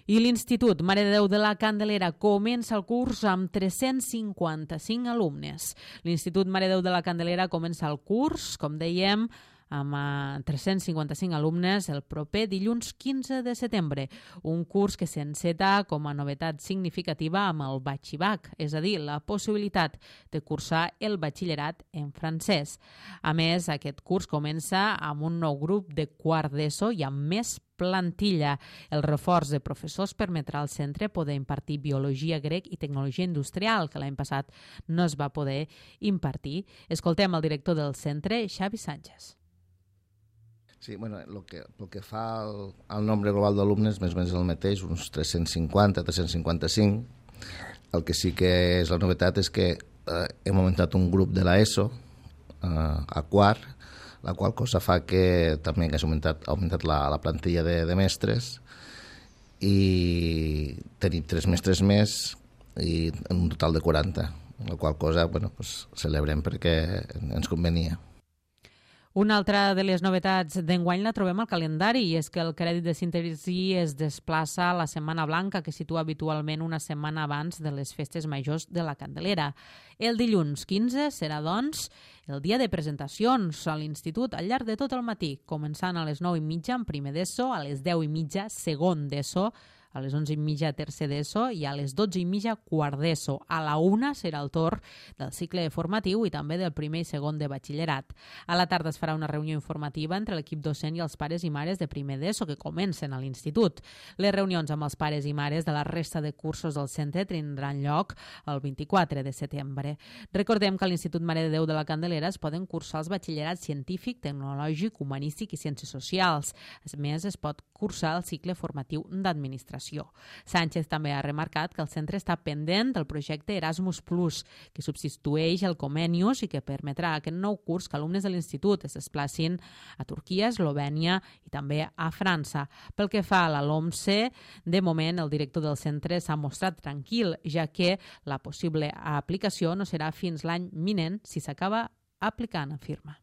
I l'Institut Mare de Déu de la Candelera comença el curs amb 355 alumnes. L'Institut Mare de Déu de la Candelera comença el curs, com dèiem, amb 355 alumnes el proper dilluns 15 de setembre, un curs que s'enceta com a novetat significativa amb el Batxibac, és a dir, la possibilitat de cursar el batxillerat en francès. A més, aquest curs comença amb un nou grup de quart d'ESO i amb més plantilla. El reforç de professors permetrà al centre poder impartir biologia, grec i tecnologia industrial, que l'any passat no es va poder impartir. Escoltem el director del centre, Xavi Sánchez. Sí, bueno, el que fa el nombre global d'alumnes més o menys el mateix, uns 350, 355. El que sí que és la novetat és que hem augmentat un grup de l'ESO a quart, la qual cosa fa que també ha augmentat la plantilla de mestres i tenim 3 mestres més i un total de 40, la qual cosa celebrem perquè ens convenia. Una altra de les novetats d'enguany la trobem al calendari i és que el crèdit de síntesi es desplaça a la Setmana Blanca, que situa habitualment una setmana abans de les festes majors de la Candelera. El dilluns 15 serà, doncs, el dia de presentacions a l'Institut al llarg de tot el matí, començant a les 9:30 en primer d'ESO, a les 10:30 segon d'ESO, a les 11:30 tercer d'ESO i a les 12:30 quart d'ESO. A la 1 serà el torn del cicle formatiu i també del primer i segon de batxillerat. A la tarda es farà una reunió informativa entre l'equip docent i els pares i mares de primer d'ESO que comencen a l'institut. Les reunions amb els pares i mares de la resta de cursos del centre tindran lloc el 24 de setembre. Recordem que a l'Institut Mare de Déu de la Candelera es poden cursar els batxillerats científic, tecnològic, humanístic i ciències socials. A més, es pot cursar el cicle formatiu d'administració. Sánchez també ha remarcat que el centre està pendent del projecte Erasmus+, que substitueix el Comenius i que permetrà aquest nou curs que alumnes de l'institut es desplacin a Turquia, Eslovènia i també a França. Pel que fa a la LOMSE, de moment el director del centre s'ha mostrat tranquil, ja que la possible aplicació no serà fins l'any vinent si s'acaba aplicant, afirma.